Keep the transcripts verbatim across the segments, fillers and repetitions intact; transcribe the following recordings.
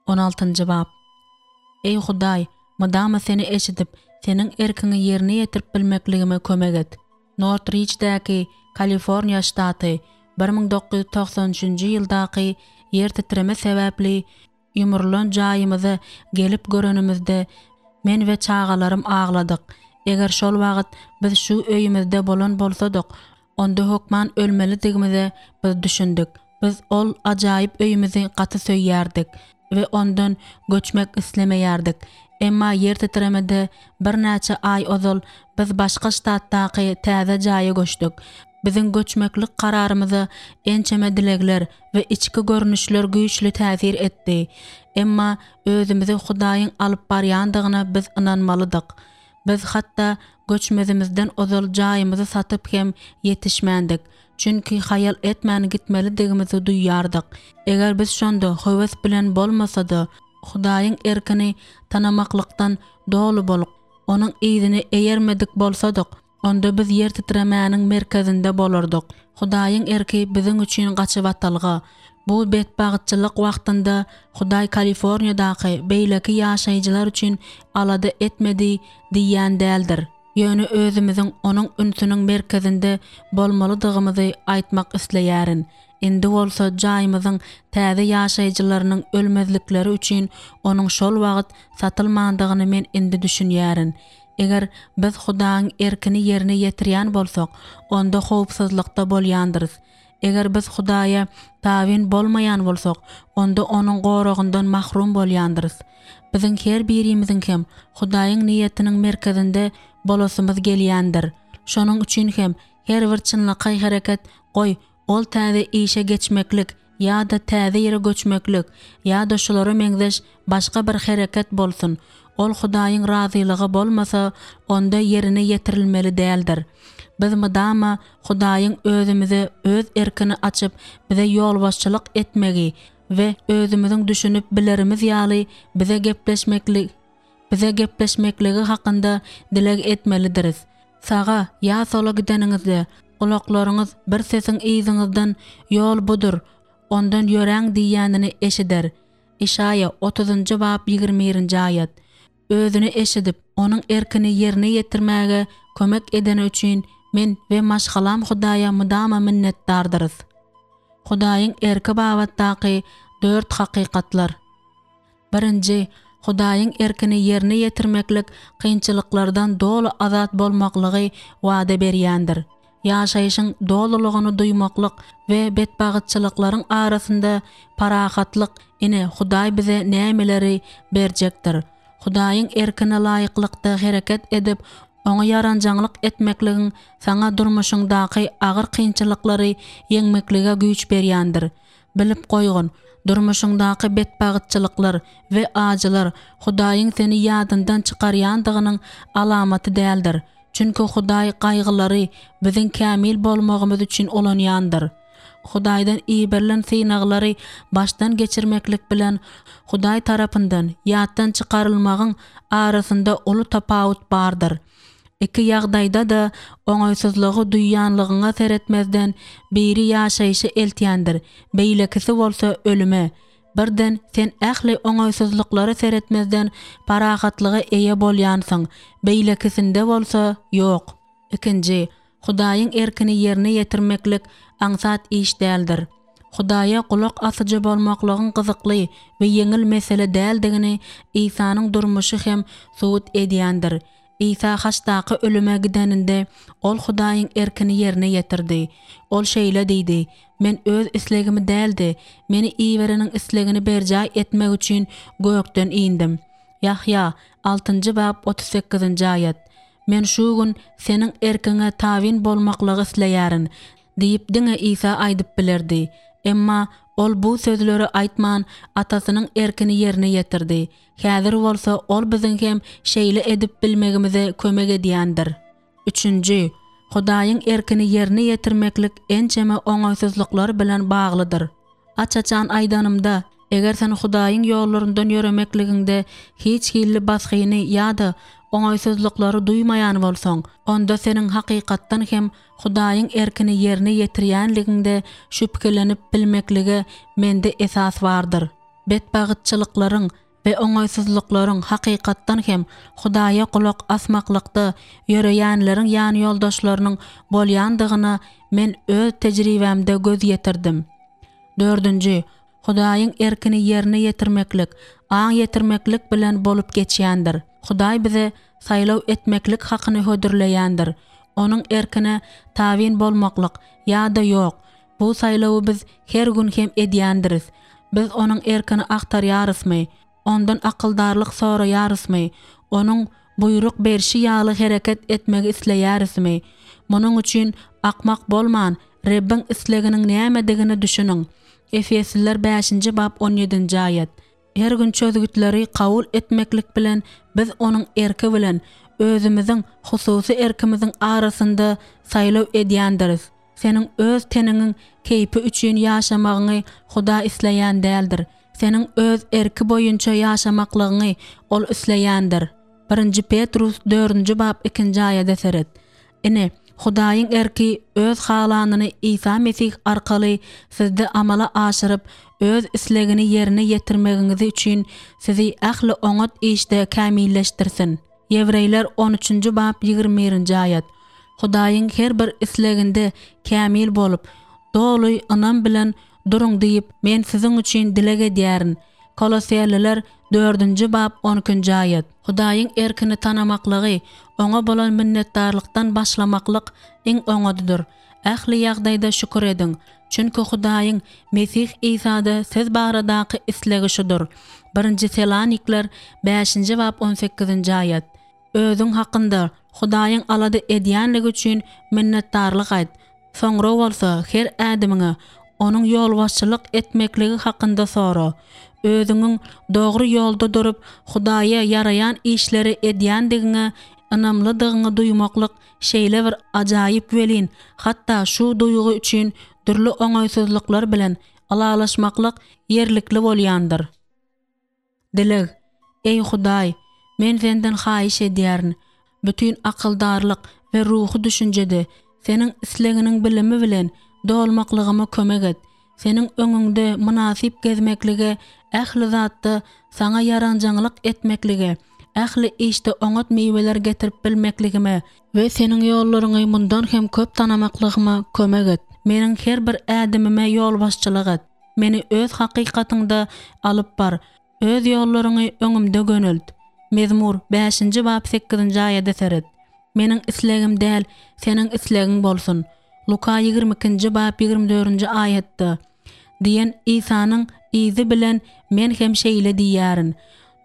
On altynjy bap. Eý Hudaý, mydama Seni eşidip, Seniň erkiňi ýerine ýetirip bilmekligime kömek et. Nortrijdäki, Kaliforniýa ştaty, bir müň dokuz ýüz togsan üçünji ýyldaky ýer titreme sebäpli ýumrulan jaýymyza gelip görenimizde, men we çagalarym agladyk. Eger şol wagt biz şu öýümizde bolan bolsadyk, onda hökman ölmelidigimize biz düşündik. Biz ol ajaýyp öýümizi gaty söýýärdik we ondan göçmek islemeýärdik. Emma ýer titremede birnäçe aý ozal biz başga ştatdaky täze jaýa göçdük. Biziň göçmeklik kararymyza ençeme dilegler we içki görnüşler güýçli täsir etdi. Emma özümizi Hudaýyň alyp barýandygyna biz ynanmalydyk. Biz hatda göçmezimizden ozal jaýymyzy satyp hem ýetişmändik, çünki haýal etmän gitmelidigimizi duýýardyk. Eger biz şonda höwes bilen bolmasa-da, Hudaýyň erkini tanamaklykdan doly bolup, Onuň yzyny eýermedik bolsadyk, onda biz ýer titremäniň merkezinde bolardyk. Hudaýyň erki biziň üçin gaçybatalga. Bu betbagtçylyk wagtynda Hudaý Kaliforniýadaky beýleki ýaşaýjylar üçin alada etmedi diýýän däldir. Ýöne özümiziň Onuň ünsüniň merkezinde bolmalydygymyzy aýtmak isleýärin. Indi bolsa jaýymyzyň täze ýaşaýjylarynyň ölmezlikleri üçin onuň şol wagt satylmandygyny men indi düşünýärin. Eger biz Hudaýyň erkini ýerine ýetirýän bolsak, onda howpsuzlykda bolýandyrys. Eger biz Hudaýa tabyn bolmaýan bolsak, onda Onuň goragyndan mahrum bolýandyrys. Biziň her birimiziň hem Hudaýyň niýetiniň merkezinde bolasymyz gelýändir. Şonuň üçin hem her bir çynlakaý hereket, goý, ol täze işe geçmeklik ýa-da täze ýere göçmeklik ýa-da şulara meňzeş başga bir hereket bolsun, ol Hudaýyň razylygy bolmasa, onda ýerine ýetirilmeli däldir. Biz mydama Hudaýyň özümize Öz erkini açyp, bize ýolbaşçylyk etmegi we özümiziň düşünip bilerimiz ýaly bize gepleşmekli bize gepleşmekligi hakynda dileg etmelidiris. Saga ýa sola gideniňizde, gulaklaryňyz bir sesiň yzyňyzdan Ýol budur, ondan ýöräň diýýänini eşider. Işaýa otuzynjy bap ýigrimi birinji aýat. Özüni eşidip, Onuň erkini ýerine ýetirmäge kömek edeni üçin men we maşgalam Hudaýa mydama minnetdardyrys. Hudaýyň erki babatdaky dört hakykatlar. Birinji, Hudaýyň erkini ýerine ýetirmeklik kynçylyklardan doly azat bolmaklygy wada berýändir. Ýaşaýşyň dolulygyny duýmaklyk we betbagytçylyklaryň arasynda parahatlyk, ine, Hudaý bize nämeleri berjekdir. Hudaýyň erkine laýyklykda hereket edip, Oňa ýaranjaňlyk etmekligiň saňa durmuşyňdaky agyr kynçylyklary ýeňmeklige güýç berýändir. Bilip goýgun, durmuşyňdaky betbagytçylyklar we ajylar Hudaýyň seni ýadyndan çykarýandygynyň alamaty däldir. Çünki Hudaý gaýgylary biziň kämil bolmagymyz üçin ulanýandyr. Hudaýdan iberilen synaglary başdan geçirmeklik bilen Hudaý tarapyndan ýatdan çykarylmagyň arasynda uly tapawut bardyr. Iki ýagdaýda-da oňaýsyzlygy duýýanlygyňa seretmezden, biri ýaşaýşa eltýändir, beýlekisi bolsa ölüme. Birden sen ähli oňaýsyzlyklara seretmezden parahatlyga eýe bolýansyň, beýlekisinde bolsa ýok. Ikinji, Hudaýyň erkini ýerine ýetirmeklik aňsat iş däldir. Hudaýa gulak asyjy bolmaklygyň gyzykly we ýeňil mesele däldigini Isanyň durmuşy hem subut edýändir. Isa haçdaky ölüme gideninde, Ol Hudaýyň erkini ýerine ýetirdi. Ol şeýle diýdi, Men Öz islegimi däl-de, Meni Ibereniň islegini berjaý etmek üçin gökden indim. Ýahýa, altynjy bap, otuz sekizinji aýat. Men şu gün Seniň erkiňe tabyn bolmaklygy isleýärin diýip diňe Isa aýdyp bilerdi. Emma Ol bu sözleri aýtman, Atasynyň erkini ýerine ýetirdi. Häzir bolsa Ol biziň hem şeýle edip bilmegimize kömek edýändir. Üçünji, Hudaýyň erkini ýerine ýetirmeklik ençeme oňaýsyzlyklar bilen baglydyr. Aç-açan aýdanymda, eger sen Hudaýyň ýollaryndan ýöremekligiňde hiç hilli basgyny ýa-da oňaýsyzlyklary duýmaýan bolsaň, onda seniň hakykatdan hem Hudaýyň erkini ýerine ýetirýänligiňde şübhelenip bilmeklige mende esas bardyr. Betbagytçylyklaryň we oňaýsyzlyklaryň hakykatdan hem Hudaýa gulak asmaklykda ýöreýänleriň ýanýoldaşlarynyň bolýandygyna men öz tejribämde göz ýetirdim. Dördünji, Hudaýyň erkini ýerine ýetirmeklik, aň ýetirmeklik bilen bolup geçýändir. Hudaý bize saýlaw etmeklik hakyny hödürleýändir. Onuň erkine tabyn bolmaklyk ýa-da ýok, bu saýlawy biz her gün hem edýändiris. Biz Onuň erkini agtarýarysmy? Ondan akyldarlyk soraýarysmy? Onuň buýruk berşi ýaly hereket etmegi isleýärismi? Munuň üçin akmak bolman, Rebbiň isleginiň nämedigine düşüniň. Efesliler bäşinji bap on ýedinji aýat. Her gün çözgütleri kabul etmeklik bilen biz Onuň erki bilen özümiziň hususy erkimiziň arasynda saýlaw edýändiris. Seniň öz teniňiň keýpi üçin ýaşamagyňy Hudaý isleýän däldir. Seniň öz erki boýunça ýaşamaklygyňy Ol isleýändir. Birinji Petrus dördünji bap ikinji aýada seret. Ine, Hudaýyň erki öz halanyny Isa Mesih arkaly sizde amala aşyryp, öz islegini ýerine ýetirmegiňizi üçin sizi ähli oňat işde kämilleşdirsin. Ýewreýler on üçünji bap ýigrimi birinji aýat. Hudaýyň her bir isleginde kämil bolup, doly ynam bilen duruň diýip, men siziň üçin dileg edýärin. Koloseliler dördünji bap on ikinji aýat. Hudaýyň erkini tanamaklygy Oňa bolan minnetdarlykdan başlamaklyk iň oňadydyr. Ähli ýagdaýda şükür ediň, çünki Hudaýyň Mesih Isada siz baradaky islegi şudur. Birinji Selanikler bäşinji bap on sekizinji aýat. Özüň hakynda Hudaýyň alada edýänligi üçin minnetdarlyk aýt. Soňra bolsa her ädimiňe Onuň ýolbaşçylyk etmekligi hakynda sora. Özüňiň dogry ýolda durup, Hudaýa ýaraýan işleri edýändigiňe ynamlydygyňy duýmaklyk şeýle bir ajaýyp welin, hatda şu duýgy üçin dürli oňaýsyzlyklar bilen ylalaşmaklyk ýerlikli bolýandyr. Dileg, Eý Hudaý, men Senden haýyş edýärin, bütin akyldarlyk we ruhy düşünjede Seniň islegiňiň bilimi bilen dolmaklygyma kömek et. Seniň öňüňde mynasyp gezmeklige, ähli zatda Saňa ýaranjaňlyk etmeklige, ähli işde oňat miweler getirip bilmekligime we Seniň ýollaryňy mundan hem köp tanamaklygyma kömek et. Meniň her bir ädimime ýolbaşçylyk et. Meni Öz hakykatyňda alyp bar, Öz ýollaryňy öňümde gönelt. Mezmur, bäşinji bap sekizinji aýada seret. Meniň islegim däl, Seniň islegiň bolsun. Luka ýigrimi ikinji bap ýigrimi dördünji aýatda diýen Isanyň yzy bilen men hem şeýle diýýärin.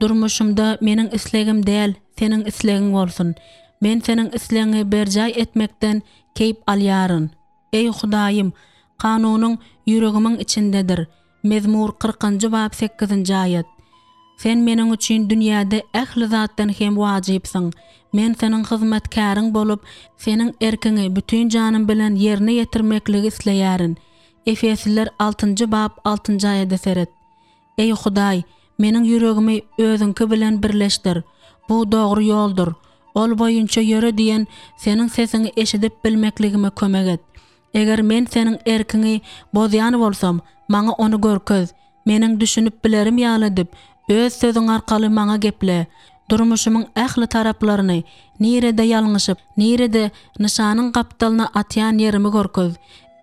Durmuşymda meniň islegim däl, Seniň islegiň bolsun. Men Seniň islegiňi berjaý etmekden keýp alýaryn. Eý, Hudaýym, kanunyň ýüregimiň içindedir. Mezmur kyrkynjy bap sekizinji aýat. Sen meniň üçin dünýäde ähli zatdan hem wajypsyň. Men Seniň hyzmatkäriň bolup, Seniň erkiňi bütin janym bilen ýerine ýetirmekligi isleýärin. Efesliler altynjy bap altynjy aýada seret. Eý, Hudaý, meniň ýüregimi Özüňki bilen birleşdir. Bu dogry ýoldur. Ol boýunça ýöre diýen Seniň sesiňi eşidip bilmekligime kömek et. Eger men Seniň erkiňi bozýan bolsam, maňa ony görkez. Meniň düşünip bilerim ýaly edip, Öz Sözüň arkaly maňa geple. Durmuşymyň ähli taraplaryny, nirede ýalňyşyp, nirede nyşanyň gapdalyna atýan ýerimi görkez.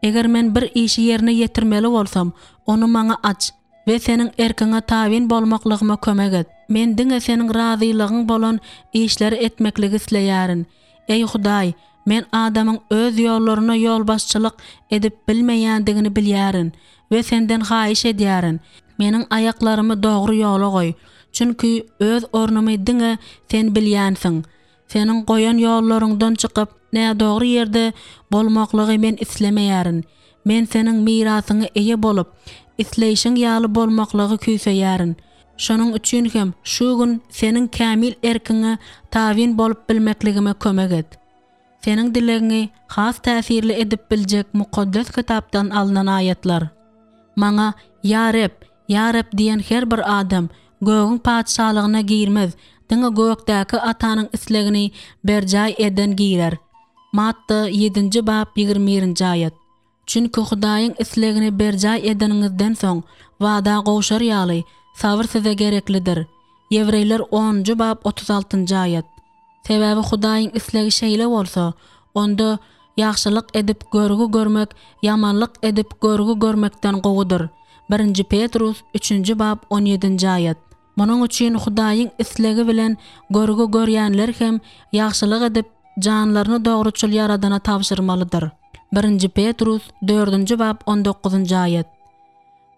Eger men bir işi ýerine ýetirmeli bolsam, ony maňa aç we Seniň erkiňe tabyn bolmaklygyma kömek et. Men diňe Seniň razylygyň bolan işleri etmekligi isleýärin. Eý Hudaý, men adamyň öz ýollaryna ýolbaşçylyk edip bilmeýändigini bilýärin we Senden haýyş edýärin, meniň aýaklarymy dogry ýola goý, çünki öz ornumy diňe Sen bilýänsiň. Seniň goýan ýollaryňdan çykyp, nädogry ýerde bolmaklygy men islemeýärin. Men Seniň mirasyňa eýe bolup, isleýşiň ýaly bolmaklygy küýseýärin. Şonuň üçin hem şu gün Seniň kämil erkiňe tabyn bolup bilmekligime kömek et. Seniň dilegiňi has täsirli edip biljek Mukaddes Kitapdan alnan aýatlar. Maňa, Ýa Reb, Ýa Reb diýen her bir adam Gögüň Patyşalygyna girmez, diňe gökdäki Atanyň islegini berjaý eden girer. Matta ýedinji bap ýigrimi birinji aýat. Çünki Hudaýyň islegini berjaý edeniňizden soň, wada gowşar ýaly, Sabyr size gereklidir. Ýewreýler onunjy bap otuz altynjy aýat. Sebäbi Hudaýyň islegi şeýle bolsa, onda ýagşylyk edip görgi görmek ýamanlyk edip görgi görmekden gowudyr. Birinji Petrus üçünji bap on ýedinji aýat. Munuň üçin Hudaýyň islegi bilen görgi görýänler hem ýagşylyk edip janlaryny dogruçyl Ýaradana tabşyrmalydyr. Birinji Petrus dördünji bap on dokuzynjy aýat.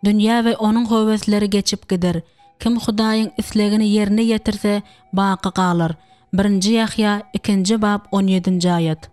Dünýä we onuň höwesleri geçip gider. Kim Hudaýyň islegini ýerine ýetirse, baky galar. Birinji Ýahýa ikinji bap on ýedinji aýat.